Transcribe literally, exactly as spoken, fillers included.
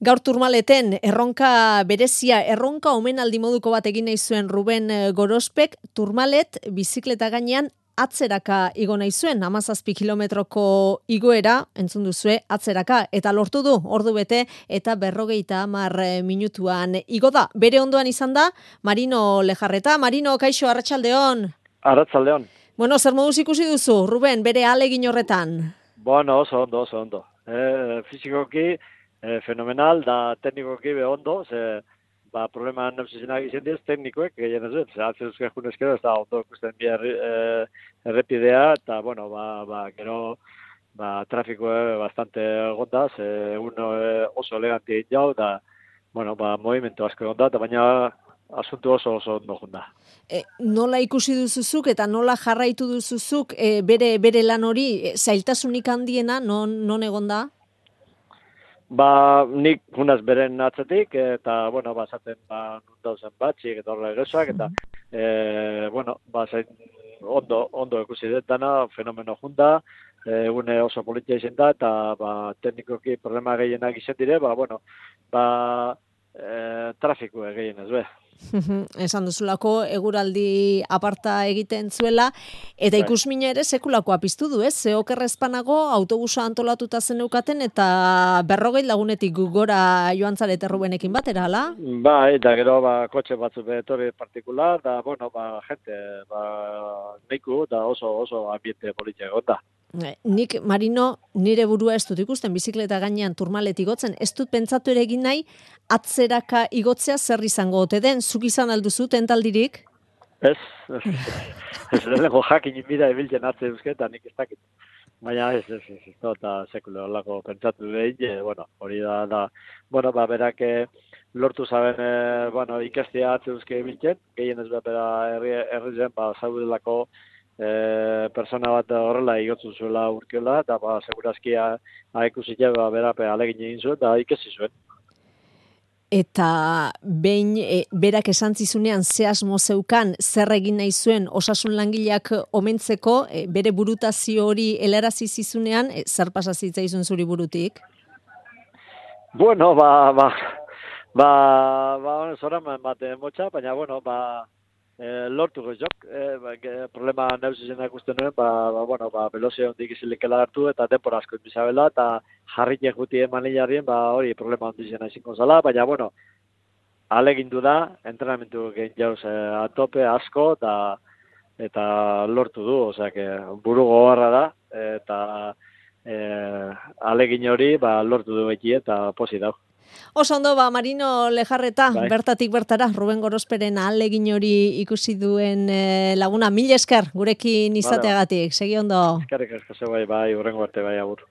Gaur Turmaleten erronka berezia, erronka omenaldi moduko bat egin nahi zuen Ruben Gorospek, Turmalet bizikleta gainean atzeraka igo nahi zuen, hamazazpi kilometroko igoera, entzun duzue, atzeraka, eta lortu du, ordu bete, eta berrogeita hamar minutuan igo da. Bere ondoan izan da, Marino Lejarreta. Marino, kaixo, arratsaldeon. Arratsaldeon. Bueno, zer moduz ikusi duzu, Ruben, bere ahalegin horretan? Bueno, oso ondo, oso ondo. E, fizikoki, e, fenomenal, da teknikoki be ondo, ze, ba, problema neusizenak izan diz, teknikoek, gehien ez dut, ze atzen duzke junezkero, ez da ondo ikusten bi erri, e, errepidea, eta, bueno, ba, ba, gero, ba, trafikoa bastante gonda, ze uno e, oso eleganti egin jau, da, bueno, ba, movimentu asko gonda, eta baina asuntu oso oso ondo junda. E, nola ikusi duzuzuk eta nola jarraitu duzuzuk e, bere bere lan hori, e, zailtasunik handiena non non egonda? Ba, nik junaz beren atzetik, eta, bueno, ba, zaten, ba, dauzen batxik, eta horrela erosak, eta, e, bueno, ba, zain, ondo, ondo ikusi dut dana, fenomeno junda, egune oso politia izan da, eta, ba, teknikoki problema gehienak izan dire, ba, bueno, ba, e, trafiko gehien ez be. Esan duzulako eguraldi aparta egiten zuela, eta Bai. ikusmina ere sekulakoa piztu du, ez? Ze okerrezpanago autobusa antolatuta zeneukaten eta berrogei lagunetik gora joan zarete Rubenekin batera, hala? Bai, eta gero, ba, kotxe batzu betorri partikular, da, bueno, ba, gente, ba, neiku, da oso, oso ambiente politia egon da. Nik, Marino, nire burua ez dut ikusten bizikleta gainean Turmalet igotzen, ez dut pentsatu ere egin nahi, atzeraka igotzea zer izango ote den, zuk izan alduzu tentaldirik? Ez, ez, ez, lehenko jakin inbida ebiltzen atze duzke, eta nik ez dakit. Baina ez, ez, ez, ez, eta sekulo horlako pentsatu behin, bueno, hori da, da, bueno, ba, berak lortu zaben, e, bueno, ikastea atze duzke ebiltzen, gehien ez bera herri, herri zen, ba, zaudelako, E, persona bat horrela igotzu zuela urkiola, eta ba, segurazkia haikusitea ba, berape alegin egin zuen, eta ikesi zuen. Eta behin e, berak esan zizunean ze asmo zeukan, zer egin nahi zuen osasun langileak omentzeko, e, bere burutazio hori helarazi zizunean, e, zer pasa zitzaizun zuri burutik? Bueno, ba, ba, ba, ba, zora bate motxa, baina, bueno, ba, E, lortu gozok, e, ba, problema neusizenak ikusten nuen, ba, ba, bueno, ba, velozio hondik izilikela hartu eta denpora asko inbizabela, eta jarritek guti eman hilarien, ba, hori problema hondizena izinko zala, baina, bueno, alegindu da, entrenamentu gehin jauz e, atope asko, eta, eta lortu du, osea, buru gogorra da, eta e, alegin hori, ba, lortu du beti eta posi dau. Oso ondo, ba, Marino Lejarreta, Bai. bertatik bertara, Ruben Gorosperen ahalegin hori ikusi duen e, laguna, mil esker gurekin izateagatik, segi ondo. Eskerrik asko, bai, bai, urrengo arte, bai, agur.